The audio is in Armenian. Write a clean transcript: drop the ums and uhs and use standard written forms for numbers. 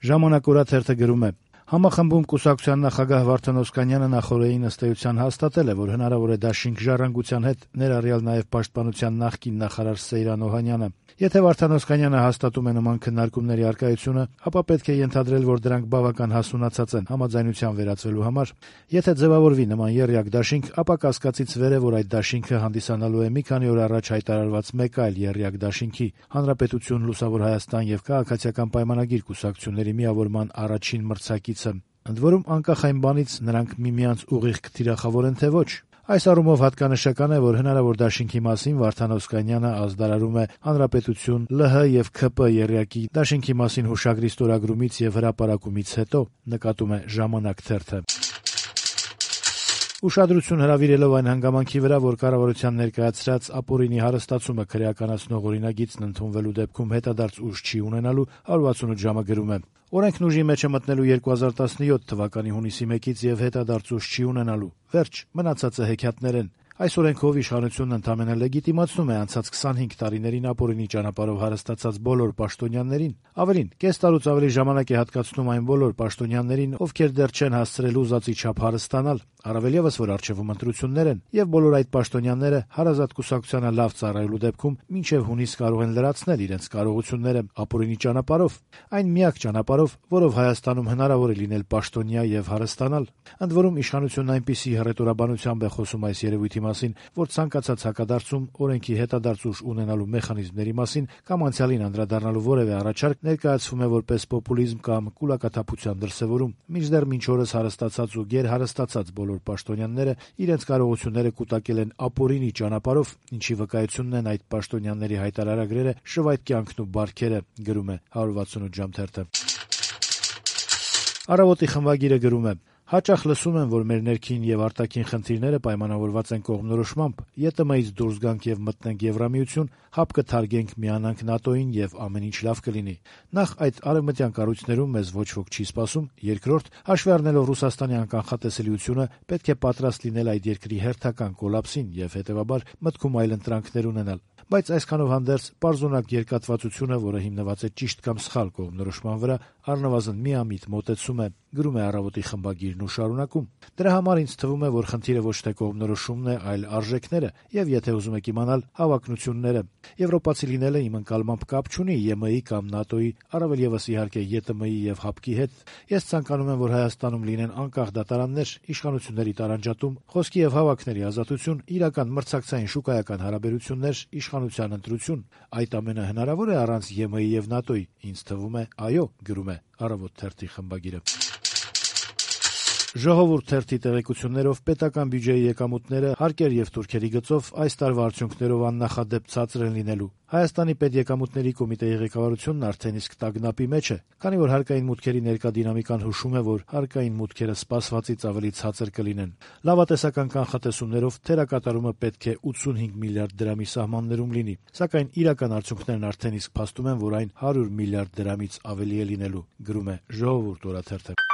Ժամանակ օրաթերթը գրում է. Համախմբում կուսակցության նախագահ Վարդան Օսկանյանը նախօրեին ըստ էության հաստատել է, որ հնարավոր է դաշինք ժառանգության հետ, ներառյալ նաև պաշտպանության նախկին նախարար Սեյրան Օհանյանը։ Եթե Վարդան Օսկանյանը հաստատում է նման քննարկումների առկայությունը, ապա պետք է ենթադրել, որ դրանք բավական հասունացած են համաձայնության վերածվելու համար։ Եթե ձևավորվի նման եռյակ դաշինք, ապա կասկածից վեր է, որ այդ դաշինքը հանդիսանալու է մի քանի օր առաջ հայտարարված մեկ այլ եռյակ դաշինքի՝ Հանրապետություն, Լուսավոր Հայաստան եւ Քաղաքացիական պայմանագիր կուսակցությունների միավորման առաջին մրցակիցը։ Ընդ որում, անկախ այն բանից նրանք միմյանց ուղիղ կթիրախավորեն թե ոչ։ Այս առումով հատկանշական է, որ հնարավոր դաշինքի մասին Վարդան Օսկանյանը ազդարարում է Հանրապետություն, ԼՀ եւ ՔՊ եռյակի դաշինքի մասին հուշագրի ստորագրումից եւ հրապարակումից հետո, նկատում է «Ժամանակ» թերթը։ Ուշադրություն հրավիրելով այն հանգամանքի վրա, որ կառավարության ներկայացրած ապօրինի հարստացումը քրեականացնող օրինագիծն ընդունվելու դեպքում հետադարձ ուժ չի ունենալու, 168 ժամը գրում է. Օրենքն ուժի մեջ է մտնելու 2017 թվականի հունիսի 1-ից եւ հետադարձ ուժ չի ունենալու։ Վերջ, մնացածը հեքիաթներ են։ Այս օրենքով իշխանությունն ընդամենը լեգիտիմացնում է անցած 25 տարիներին ապօրինի ճանապարհով հարստացած բոլոր պաշտոնյաներին։ Ավելին, կես տարուց ավելի ժամանակ է հատկացնում այն բոլոր պաշտոնյաներին, ովքեր դեռ չեն հասցրել ուզածի չափ հարստանալ, առավել եւս որ առջեվում ընտրություններ են, եւ բոլոր այդ պաշտոնյաները հարազատ կուսակցությանը լավ ծառայելու դեպքում մինչեւ հունիս կարող են լրացնել իրենց կարողությունները ապօրինի ճանապարհով, այն միակ ճանապարհով, որով Հայաստանում հնարավոր է լինել պաշտոնյա եւ հարստանալ։ Ընդ որում իշխանությունն այնպիսի հռետորաբանությամբ է խոսում այս երևույթի մասին, որ ցանկացած հակադարձում օրենքի հետադարձ ուժ ունենալու մեխանիզմների մասին կամ անցյալին անդրադառնալու որևէ առաջարկ ներկայացվում է որպես պոպուլիզմ կամ կուլակաթափության դրսևորում, մինչդեռ մինչ օրս հարստացած ու գերհարստացած բոլոր պաշտոնյաները իրենց կարողությունները կուտակել են ապօրինի ճանապարհով, ինչի վկայությունն են այդ պաշտոնյաների հայտարարագրերը, շվայտ կյանքն ու բարքերը, գրում է 168 ժամ թերթը։ Առավոտի խմբագիրը գրում է. Հաճախ լսում եմ, որ մեր ներքին եւ արտաքին խնդիրները պայմանավորված են կողմնորոշմամբ։ ԵՏՄ-ից դուրս գանք եւ մտնենք Եվրամիություն, հապ կթարգենք, միանանք ՆԱՏՕ-ին եւ ամեն ինչ լավ կլինի։ Նախ այդ արևմտյան կառույցներում մեզ ոչ ոք չի սպասում, երկրորդ, հաշվի առնելով Ռուսաստանի անկանխատեսելիությունը, պետք է պատրաստ լինել այդ երկրի հերթական կոլապսին եւ հետեւաբար մտքում այլընտրանքներ ունենալ։ Բայց այսքանով հանդերձ պարզունակ երկատվածությունը, որը հիմնված է ճիշտ կամ սխալ կողմնորոշման վրա, առնվազն միամիտ մոտեցում է, գրում է Առավոտի խմբագիրն ու շարունակում. Դրա համար ինձ թվում է, որ խնդիրը ոչ թե կողմնորոշումն է, այլ արժեքները եւ, եթե ուզում եք իմանալ, հավակնությունները։ Եվրոպացի լինելը իմ ընկալմամբ կապ չունի ԵՄ-ի կամ ՆԱՏՕ-ի, առավել եւս իհարկե ԵՏՄ-ի եւ ՀԱՊԿ-ի հետ։ Ես ցանկանում եմ, որ Հայաստանում լինեն անկախ դատարաններ, իշխանությունների տարանջատում, խոսքի եւ հավաքների ազատություն, իրական մրցակցային շուկայական հարաբերություններ, իշխանության ընտրություն։ Այդ ամենը հնարավոր է առանց ԵՄ-ի եւ ՆԱՏՕ-ի։ Ինձ թվում է, այո, գրում է Առավոտ թերթի խմբագիրը։ Ժողովուրդ թերթի տեղեկություններով պետական բյուջեի եկամուտները հարկեր եւ թուրքերի գծով այս տարվա արդյունքներով աննախադեպ ցածր են լինելու։ Հայաստանի պետեկամուտների կոմիտեի ղեկավարությունն արդեն իսկ տագնապի մեջ է, քանի որ հարկային մուտքերի ներկա դինամիկան հուշում է, որ հարկային մուտքերը սպասվածից ավելի ցածր կլինեն։ Լավատեսական կանխատեսումներով թերակատարումը պետք է 85 միլիարդ դրամի սահմաններում լինի, սակայն իրական արդյունքներն արդեն իսկ փաստում են, որ այն 100 միլիարդ դրամից ավելի է լինելու, գրում է Ժողովուրդ օրաթերթը։